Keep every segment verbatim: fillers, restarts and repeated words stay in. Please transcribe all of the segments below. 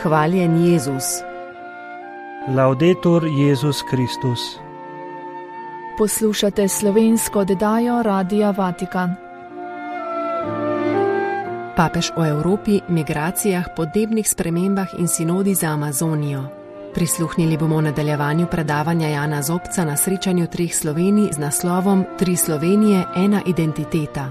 Hvaljen Jezus. Laudetur Jezus Kristus. Poslušate slovensko oddajo Radia Vatikan. Papež o Evropi, migracijah, podnebnih spremembah in sinodi za Amazonijo. Prisluhnili bomo nadaljevanju predavanja Jana Zobca na srečanju treh Slovenij z naslovom Tri Slovenije, ena identiteta.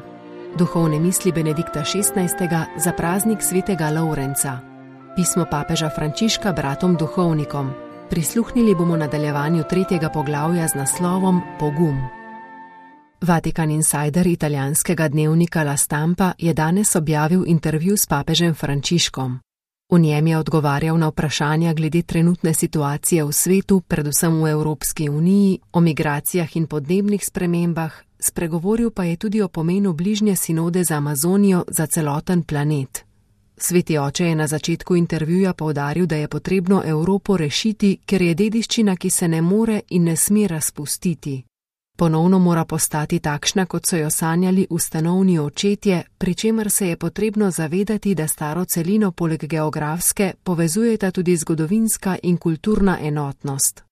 Duhovne misli Benedikta šestnajstega za praznik svetega Lovrenca. Pismo papeža Frančiška bratom duhovnikom. Prisluhnili bomo nadaljevanju tretjega poglavja z naslovom Pogum. Vatikan Insider italijanskega dnevnika La Stampa je danes objavil intervju s papežem Frančiškom. V njem je odgovarjal na vprašanja glede trenutne situacije v svetu, predvsem v Evropski uniji, o migracijah in podnebnih spremembah, spregovoril pa je tudi o pomenu bližnje sinode za Amazonijo za celoten planet. Sveti oče je na začetku intervjuja poudaril, da je potrebno Evropo rešiti, ker je dediščina, ki se ne more in ne sme razpustiti. Ponovno mora postati takšna, kot so jo sanjali ustanovni očetje, pri čemer se je potrebno zavedati, da staro celino poleg geografske povezujeta tudi zgodovinska in kulturna enotnost.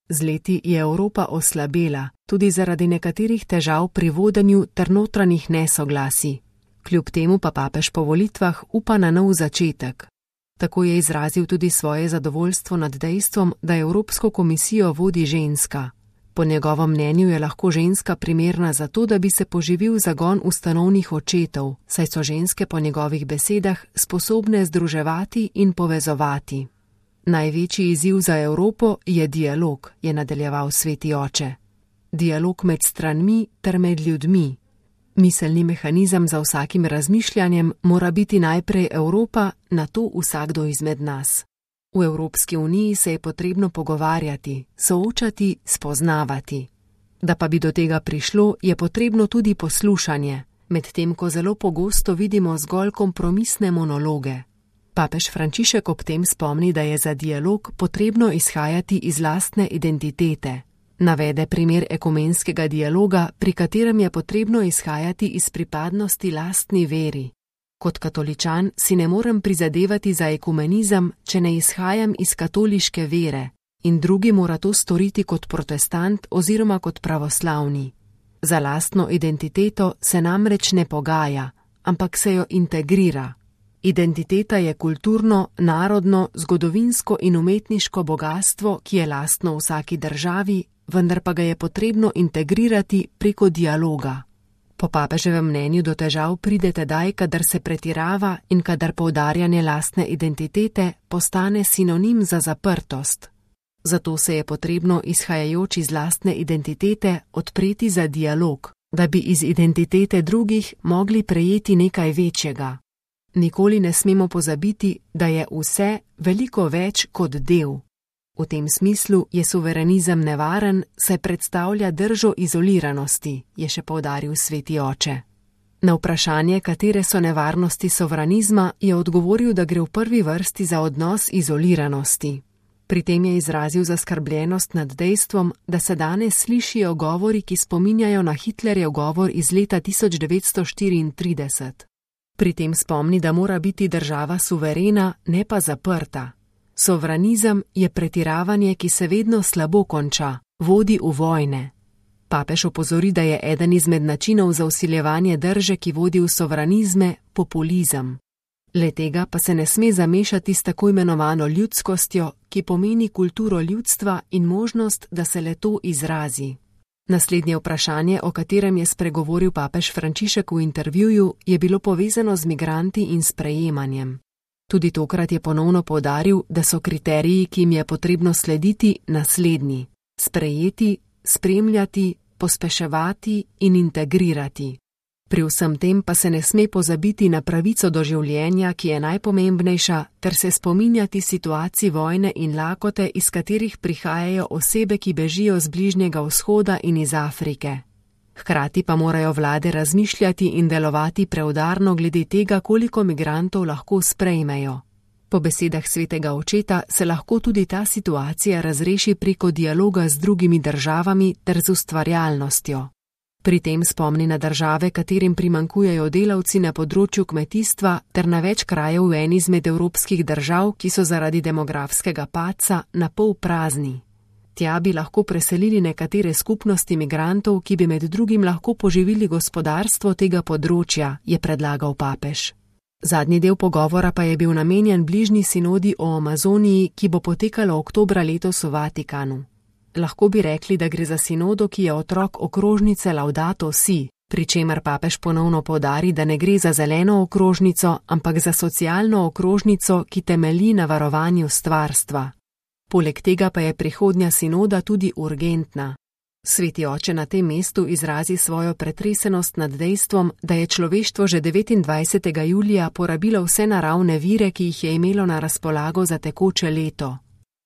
Z leti je Evropa oslabela, tudi zaradi nekaterih težav pri vodenju ter notranjih nesoglasij. Kljub temu pa papež po volitvah upa na nov začetek. Tako je izrazil tudi svoje zadovoljstvo nad dejstvom, da Evropsko komisijo vodi ženska. Po njegovem mnenju je lahko ženska primerna za to, da bi se poživil zagon ustanovnih očetov, saj so ženske po njegovih besedah sposobne združevati in povezovati. Največji izziv za Evropo je dialog, je nadaljeval sveti oče. Dialog med stranmi ter med ljudmi. Miselni mehanizem za vsakim razmišljanjem mora biti najprej Evropa, nato vsakdo izmed nas. V Evropski uniji se je potrebno pogovarjati, soočati, spoznavati. Da pa bi do tega prišlo, je potrebno tudi poslušanje, medtem ko zelo pogosto vidimo zgolj kompromisne monologe. Papež Frančišek ob tem spomni, da je za dialog potrebno izhajati iz lastne identitete. Navede primer ekumenskega dialoga, pri katerem je potrebno izhajati iz pripadnosti lastni veri. Kot katoličan si ne morem prizadevati za ekumenizem, če ne izhajam iz katoliške vere, in drugi mora to storiti kot protestant oziroma kot pravoslavni. Za lastno identiteto se namreč ne pogaja, ampak se jo integrira. Identiteta je kulturno, narodno, zgodovinsko in umetniško bogastvo, ki je lastno vsaki državi, vendar pa ga je potrebno integrirati preko dialoga. Po papeževem mnenju do težav pride tedaj, kadar se pretirava in kadar poudarjanje lastne identitete postane sinonim za zaprtost. Zato se je potrebno, izhajajoč iz lastne identitete, odpreti za dialog, da bi iz identitete drugih mogli prejeti nekaj večjega. Nikoli ne smemo pozabiti, da je vse veliko več kot del. V tem smislu je suverenizem nevaren, saj predstavlja držo izoliranosti, je še poudaril sveti oče. Na vprašanje, katere so nevarnosti sovranizma, je odgovoril, da gre v prvi vrsti za odnos izoliranosti. Pri tem je izrazil zaskrbljenost nad dejstvom, da se danes slišijo govori, ki spominjajo na Hitlerjev govor iz leta tisoč devetsto štiriintrideset. Pri tem spomni, da mora biti država suverena, ne pa zaprta. Sovranizem je pretiravanje, ki se vedno slabo konča, vodi v vojne. Papež opozori, da je eden izmed načinov za vsiljevanje drže, ki vodi v sovranizme, populizem. Le tega pa se ne sme zamešati s tako imenovano ljudskostjo, ki pomeni kulturo ljudstva in možnost, da se le to izrazi. Naslednje vprašanje, o katerem je spregovoril papež Frančišek v intervjuju, je bilo povezano z migranti in sprejemanjem. Tudi tokrat je ponovno poudaril, da so kriteriji, ki jim je potrebno slediti, naslednji: sprejeti, spremljati, pospeševati in integrirati. Pri vsem tem pa se ne sme pozabiti na pravico do življenja, ki je najpomembnejša, ter se spominjati situacij vojne in lakote, iz katerih prihajajo osebe, ki bežijo z Bližnjega vzhoda in iz Afrike. Hkrati pa morajo vlade razmišljati in delovati preudarno glede tega, koliko migrantov lahko sprejmejo. Po besedah svetega očeta se lahko tudi ta situacija razreši preko dialoga z drugimi državami ter z ustvarjalnostjo. Pri tem spomni na države, katerim primanjkujejo delavci na področju kmetijstva, ter na več krajev v eni izmed evropskih držav, ki so zaradi demografskega padca na pol prazni. Tja bi lahko preselili nekatere skupnosti migrantov, ki bi med drugim lahko poživili gospodarstvo tega področja, je predlagal papež. Zadnji del pogovora pa je bil namenjen bližnji sinodi o Amazoniji, ki bo potekala oktobra letos v Vatikanu. Lahko bi rekli, da gre za sinodo, ki je otrok okrožnice Laudato Si, pri čemer papež ponovno poudari, da ne gre za zeleno okrožnico, ampak za socialno okrožnico, ki temelji na varovanju stvarstva. Poleg tega pa je prihodnja sinoda tudi urgentna. Sveti oče na tem mestu izrazi svojo pretresenost nad dejstvom, da je človeštvo že devetindvajsetega julija porabilo vse naravne vire, ki jih je imelo na razpolago za tekoče leto.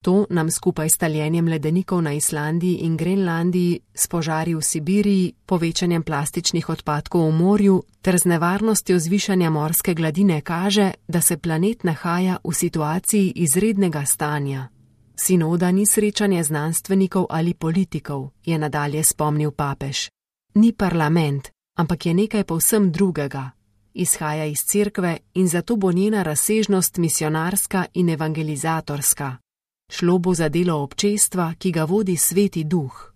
To nam skupaj s taljenjem ledenikov na Islandiji in Grenlandiji, s požari v Sibiriji, povečanjem plastičnih odpadkov v morju ter z nevarnostjo zvišanja morske gladine kaže, da se planet nahaja v situaciji izrednega stanja. Sinoda ni srečanje znanstvenikov ali politikov, je nadalje spomnil papež. Ni parlament, ampak je nekaj povsem drugega. Izhaja iz cerkve in zato bo njena razsežnost misionarska in evangelizatorska. Šlo bo za delo občestva, ki ga vodi Sveti Duh.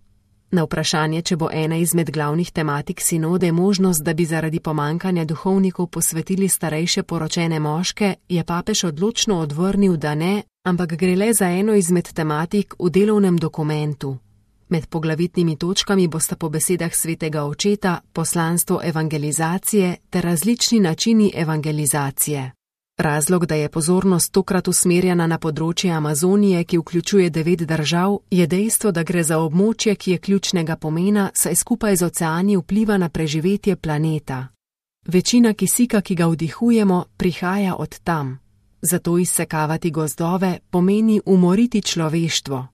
Na vprašanje, če bo ena izmed glavnih tematik sinode možnost, da bi zaradi pomankanja duhovnikov posvetili starejše poročene moške, je papež odločno odvrnil, da ne, ampak gre le za eno izmed tematik v delovnem dokumentu. Med poglavitnimi točkami bosta po besedah svetega očeta poslanstvo evangelizacije ter različni načini evangelizacije. Razlog, da je pozornost tokrat usmerjena na področje Amazonije, ki vključuje devet držav, je dejstvo, da gre za območje, ki je ključnega pomena, saj skupaj z oceani vpliva na preživetje planeta. Večina kisika, ki ga vdihujemo, prihaja od tam. Zato izsekavati gozdove pomeni umoriti človeštvo.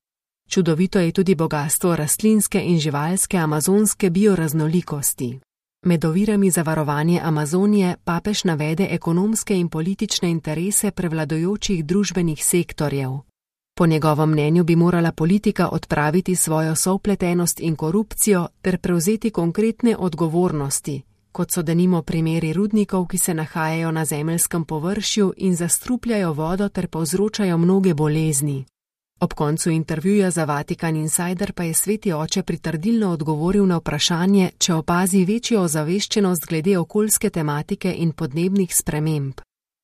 Čudovito je tudi bogastvo rastlinske in živalske amazonske bioraznolikosti. Med ovirami za varovanje Amazonije papež navede ekonomske in politične interese prevladujočih družbenih sektorjev. Po njegovem mnenju bi morala politika odpraviti svojo sovpletenost in korupcijo ter prevzeti konkretne odgovornosti, kot so denimo primeri rudnikov, ki se nahajajo na zemeljskem površju in zastrupljajo vodo ter povzročajo mnoge bolezni. Ob koncu intervjuja za Vatikan Insider pa je sveti oče pritrdilno odgovoril na vprašanje, če opazi večjo ozaveščenost glede okoljske tematike in podnebnih sprememb.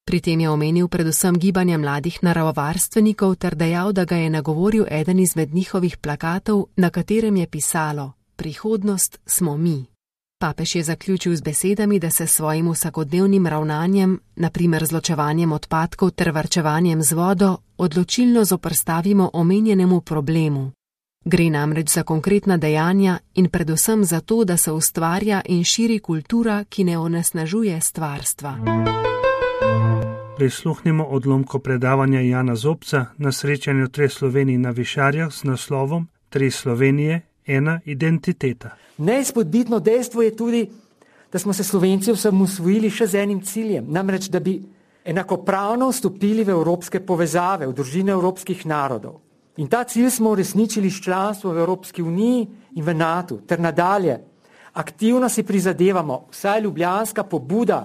Pri tem je omenil predvsem gibanja mladih naravovarstvenikov ter dejal, da ga je nagovoril eden izmed njihovih plakatov, na katerem je pisalo: Prihodnost smo mi. Papež je zaključil z besedami, da se s svojim vsakodnevnim ravnanjem, na primer z ločevanjem odpadkov ter varčevanjem z vodo, odločilno zoperstavimo omenjenemu problemu. Gre namreč za konkretna dejanja in predvsem za to, da se ustvarja in širi kultura, ki ne onesnažuje stvarstva. Prisluhnimo odlomku predavanja Jana Zobca na srečanju treh Slovenij na Višarjah z naslovom Tri Slovenije, ena identiteta. Neizpodbitno dejstvo je tudi, da smo se Slovenci osamosvojili še z enim ciljem, namreč da bi enakopravno vstopili v evropske povezave, v družine evropskih narodov. In ta cilj smo uresničili s članstvom v Evropski uniji in v NATO, ter nadalje. Aktivno si prizadevamo, vsaj ljubljanska pobuda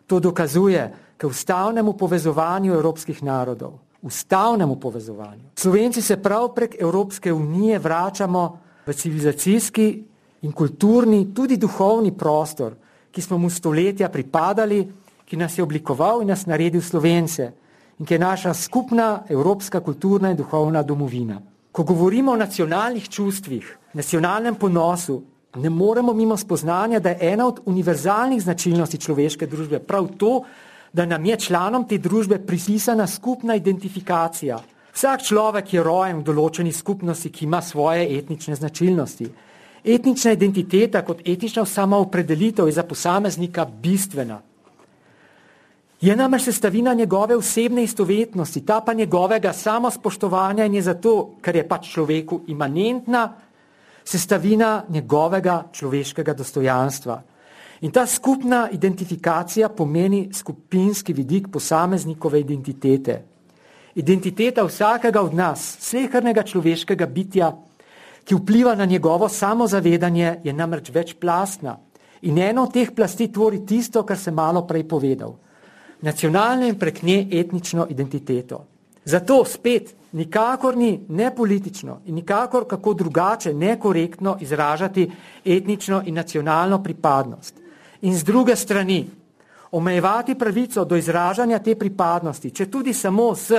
to dokazuje, k ustavnemu povezovanju evropskih narodov. Ustavnemu povezovanju. Slovenci se prav prek Evropske unije vračamo v civilizacijski in kulturni, tudi duhovni prostor, ki smo mu stoletja pripadali, ki nas je oblikoval in nas naredil Slovence in ki je naša skupna evropska kulturna in duhovna domovina. Ko govorimo o nacionalnih čustvih, nacionalnem ponosu, ne moremo mimo spoznanja, da je ena od univerzalnih značilnosti človeške družbe prav to, da nam je članom te družbe pripisana skupna identifikacija. Vsak človek je rojen v določeni skupnosti, ki ima svoje etnične značilnosti. Etnična identiteta kot etnična samoopredelitev je za posameznika bistvena. Je namreč sestavina njegove osebne istovetnosti, ta pa njegovega samospoštovanja in je zato, ker je pač človeku imanentna, sestavina njegovega človeškega dostojanstva. In ta skupna identifikacija pomeni skupinski vidik posameznikove identitete. Identiteta vsakega od nas, slehernega človeškega bitja, ki vpliva na njegovo samozavedanje, je namreč večplastna. In eno od teh plasti tvori tisto, kar sem malo prej povedal. Nacionalno in prek nje etnično identiteto. Zato spet nikakor ni ne politično in nikakor kako drugače nekorektno izražati etnično in nacionalno pripadnost. In z druge strani omejevati pravico do izražanja te pripadnosti, če tudi samo s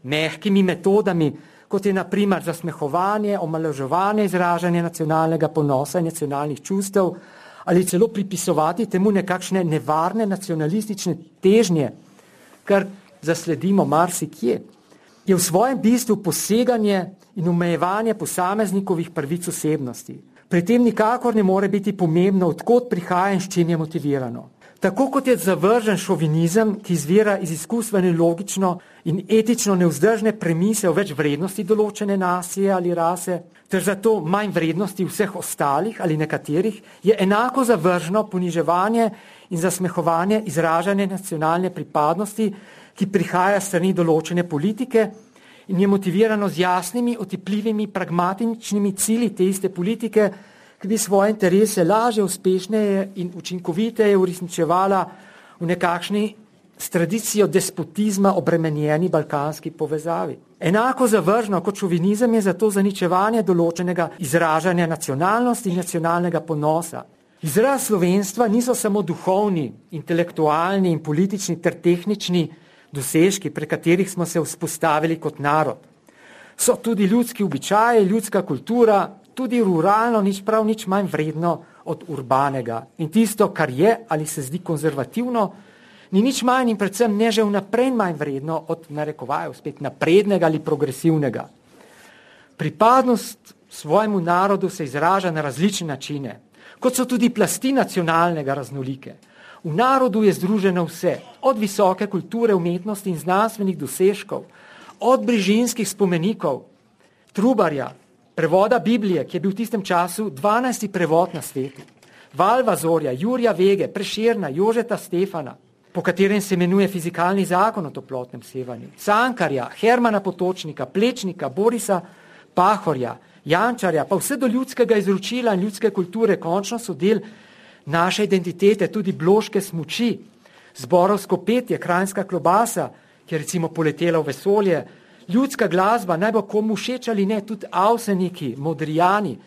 mehkimi metodami, kot je na primer zasmehovanje, omalovaževanje izražanja nacionalnega ponosa in nacionalnih čustev, ali celo pripisovati temu nekakšne nevarne nacionalistične težnje, kar zasledimo marsikje, je v svojem bistvu poseganje in omejevanje posameznikovih pravic osebnosti. Pri tem nikakor ne more biti pomembno, odkot prihaja in s čim je motivirano. Tako kot je zavržen šovinizem, ki izvira iz izkustvene logično in etično nevzdržne premise o več vrednosti določene nacije ali rase, ter zato manj vrednosti vseh ostalih ali nekaterih, je enako zavržno poniževanje in zasmehovanje izražanja nacionalne pripadnosti, ki prihaja s strani določene politike in je motivirano z jasnimi, otipljivimi, pragmatičnimi cilji te iste politike, ki bi svoje interese lažje, uspešneje in učinkoviteje uresničevala v nekakšni s tradicijo despotizma obremenjeni balkanski povezavi. Enako zavržno kot šovinizem je zato zaničevanje določenega izražanja nacionalnosti in nacionalnega ponosa. Izraz slovenstva niso samo duhovni, intelektualni in politični ter tehnični dosežki, pre katerih smo se vzpostavili kot narod. So tudi ljudski običaji, ljudska kultura, tudi ruralno, nič prav nič manj vredno od urbanega. In tisto, kar je ali se zdi konzervativno, ni nič manj in predvsem ne že vnaprej manj vredno od narekovajev spet naprednega ali progresivnega. Pripadnost svojemu narodu se izraža na različne načine, kot so tudi plasti nacionalnega raznolike. V narodu je združeno vse, od visoke kulture, umetnosti in znanstvenih dosežkov, od brižinskih spomenikov, Trubarja, prevoda Biblije, ki je bil v tistem času dvanajsti prevod na svetu, Valvazorja, Jurija Vege, Prešerna, Jožeta Stefana, po katerem se imenuje fizikalni zakon o toplotnem sevanju, Cankarja, Hermana Potočnika, Plečnika, Borisa Pahorja, Jančarja, pa vse do ljudskega izročila in ljudske kulture končno so del naše identitete, tudi bloške smuči, zborovsko petje, kranjska klobasa, ki je recimo poletela v vesolje, ljudska glasba, naj bo komu všeč ali ne, tudi Avseniki, Modrijani,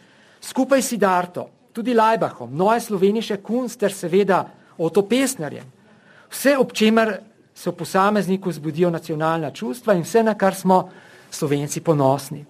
skupaj s Siddharto, tudi Laibachom, Neue Slovenische Kunst ter seveda Otto Pestnerjem. Vse, ob čemer se v posamezniku zbudijo nacionalna čustva in vse, na kar smo Slovenci ponosni.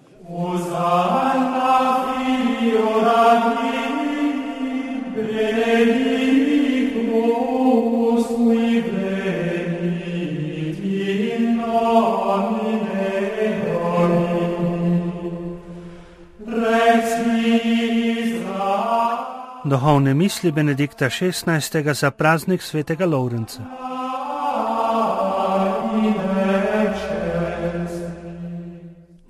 Duhovne misli Benedikta šestnajstega za praznik svetega Lovrenca.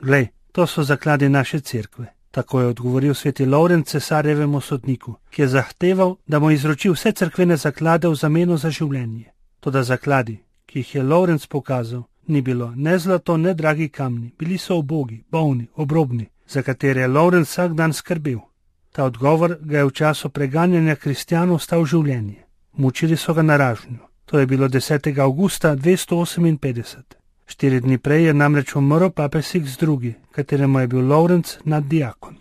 Glej, to so zakladi naše cerkve. Tako je odgovoril sveti Lovrenc cesarjevemu sodniku, ki je zahteval, da mu izroči vse cerkvene zaklade v zameno za življenje. Toda zakladi, ki jih je Lovrenc pokazal, ni bilo ne zlato, ne dragi kamni, bili so ubogi, bolni, obrobni, za katere je Lovrenc vsak dan skrbel. Ta odgovor ga je v času preganjanja kristjanov stal življenje. Mučili so ga na ražnju. To je bilo desetega avgusta dvesto oseminpetdeset. Štiri dni prej je namreč umrl papež Sixt drugi, kateremu je bil Lovrenc naddiakon.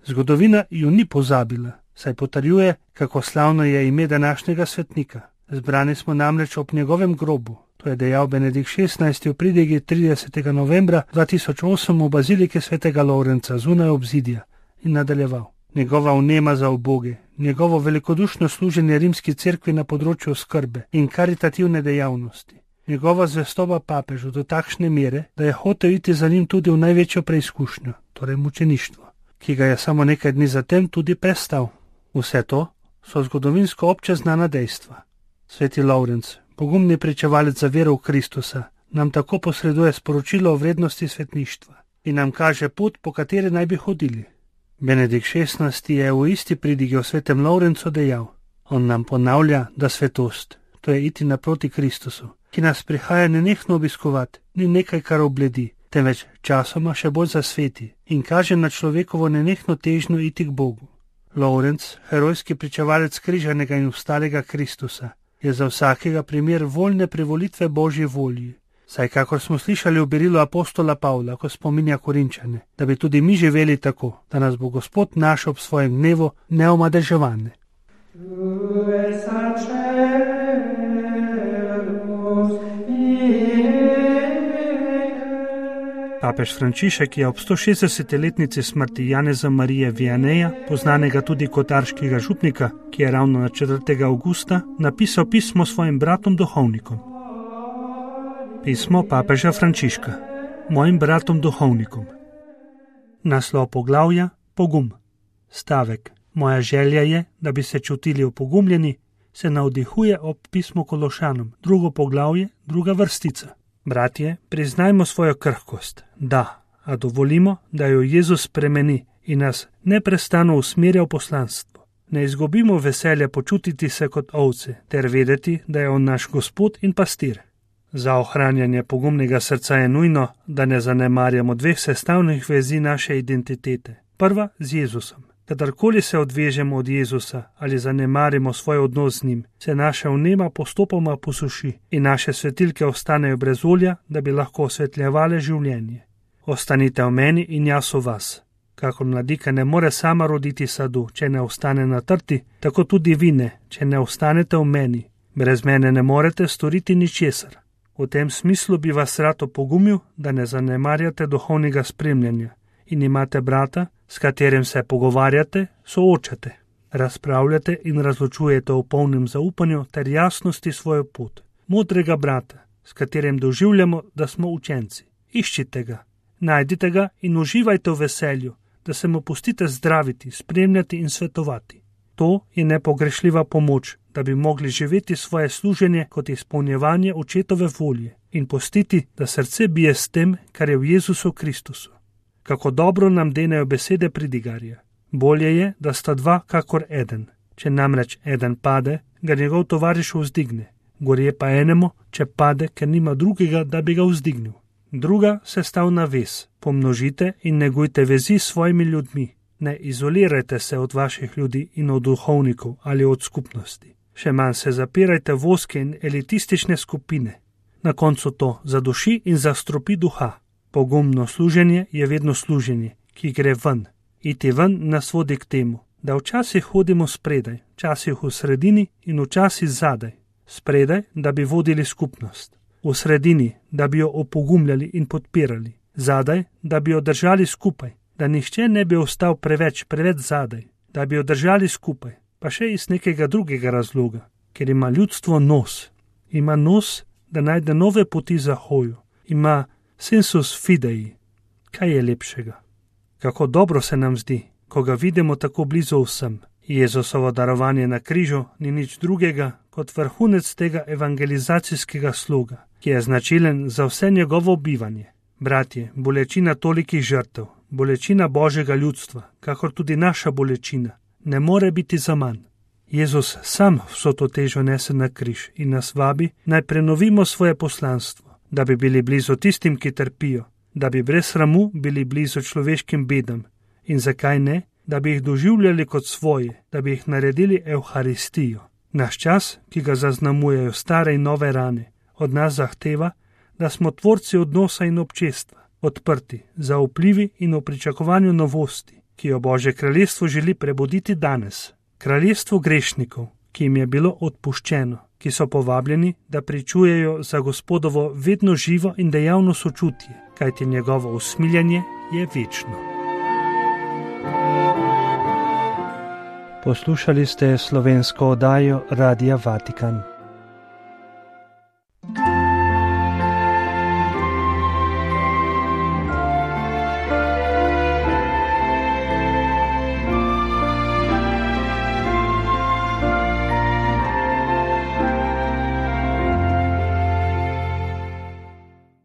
Zgodovina ju ni pozabila, saj potrjuje, kako slavno je ime današnjega svetnika. Zbrani smo namreč ob njegovem grobu. To je dejal Benedikt šestnajsti v pridigi tridesetega novembra dva tisoč osem v baziliki svetega Lovrenca zunaj obzidja in nadaljeval. Njegova vnema za uboge, njegovo velikodušno služenje rimski cerkvi na področju skrbe in karitativne dejavnosti, njegova zvestoba papežu do takšne mere, da je hotel iti za njim tudi v največjo preizkušnjo, torej mučeništvo, ki ga je samo nekaj dni zatem tudi prestal. Vse to so zgodovinsko obče znana dejstva. Sveti Lovrenc, pogumni pričevalec za vero v Kristusa, nam tako posreduje sporočilo o vrednosti svetništva in nam kaže pot, po kateri naj bi hodili. Benedikt šestnajsti je v isti pridigi o svetem Lovrencu dejal: on nam ponavlja, da svetost, to je iti naproti Kristusu, ki nas prihaja nenehno obiskovati, ni nekaj, kar obledi, temveč časoma še bolj zasveti in kaže na človekovo nenehno težnjo iti k Bogu. Lovrenc, herojski pričevalec križanega in vstalega Kristusa, je za vsakega primer voljne privolitve Božji volji. Saj kakor smo slišali v berilu apostola Pavla, ko spominja Korinčane, da bi tudi mi živeli tako, da nas bo Gospod našel ob svojem dnevu neomadeževane. Papež Frančišek je ob sto šestdesetletnici smrti Janeza Marije Vianeja, poznanega tudi kot arškega župnika, ki je ravno na četrtega avgusta napisal pismo svojim bratom duhovnikom. Pismo papeža Frančiška, mojim bratom duhovnikom. Naslov poglavja: Pogum. Stavek: moja želja je, da bi se čutili opogumljeni, se navdihuje ob pismu Kološanom, drugo poglavje, druga vrstica. Bratje, priznajmo svojo krhkost, da, a dovolimo, da jo Jezus spremeni in nas neprestano usmerja v poslanstvo. Ne izgubimo veselja počutiti se kot ovce, ter vedeti, da je on naš Gospod in pastir. Za ohranjanje pogumnega srca je nujno, da ne zanemarjamo dveh sestavnih vezi naše identitete. Prva z Jezusom. Kadarkoli se odvežemo od Jezusa ali zanemarimo svoj odnos z njim, se naša vnema postopoma posuši in naše svetilke ostanejo brez olja, da bi lahko osvetljevale življenje. Ostanite v meni in jaz v vas. Kakor mladika ne more sama roditi sadu, če ne ostane na trti, tako tudi vi ne, če ne ostanete v meni. Brez mene ne morete storiti ničesar. V tem smislu bi vas rad opogumil, da ne zanemarjate duhovnega spremljanja in imate brata, s katerim se pogovarjate, soočate, razpravljate in razločujete v polnem zaupanju ter jasnosti svojo pot. Modrega brata, s katerim doživljamo, da smo učenci. Iščite ga, najdite ga in uživajte v veselju, da se mu pustite zdraviti, spremljati in svetovati. To je nepogrešljiva pomoč, da bi mogli živeti svoje služenje kot izpolnjevanje očetove volje in pustiti, da srce bije s tem, kar je v Jezusu Kristusu. Kako dobro nam denejo besede pridigarja. Bolje je, da sta dva kakor eden. Če namreč eden pade, ga njegov tovariš vzdigne. Gorje pa enemu, če pade, ker nima drugega, da bi ga vzdignil. Druga sestavna vez. Pomnožite in negujte vezi s svojimi ljudmi. Ne izolirajte se od vaših ljudi in od duhovnikov ali od skupnosti. Še manj se zapirajte v ozke in elitistične skupine. Na koncu to zaduši in zastropi duha. Pogumno služenje je vedno služenje, ki gre ven. Iti ven nas vodi k temu, da včasih hodimo spredaj, včasih v sredini in včasih zadaj. Spredaj, da bi vodili skupnost. V sredini, da bi jo opogumljali in podpirali. Zadaj, da bi jo držali skupaj, da nihče ne bi ostal preveč, preveč zadaj. Da bi jo držali skupaj, pa še iz nekega drugega razloga, ker ima ljudstvo nos. Ima nos, da najde nove poti za hojo. Ima sensus fidei. Kaj je lepšega? Kako dobro se nam zdi, ko ga vidimo tako blizu vsem. Jezusovo darovanje na križu ni nič drugega kot vrhunec tega evangelizacijskega sloga, ki je značilen za vse njegovo bivanje. Bratje, bolečina tolikih žrtev, bolečina Božjega ljudstva, kakor tudi naša bolečina, ne more biti zaman. Jezus sam vso to težo nese na križ in nas vabi, naj prenovimo svoje poslanstvo, da bi bili blizu tistim, ki trpijo, da bi brez sramu bili blizu človeškim bedam in zakaj ne, da bi jih doživljali kot svoje, da bi jih naredili evharistijo. Naš čas, ki ga zaznamujejo stare in nove rane, od nas zahteva, da smo tvorci odnosa in občestva, odprti, zaupljivi in v pričakovanju novosti, ki jo Božje kraljestvo želi prebuditi danes. Kraljestvo grešnikov, ki jim je bilo odpuščeno, ki so povabljeni, da pričujejo za Gospodovo vedno živo in dejavno sočutje, kajti njegovo usmiljanje je večno. Poslušali ste slovensko oddajo Radia Vatikan.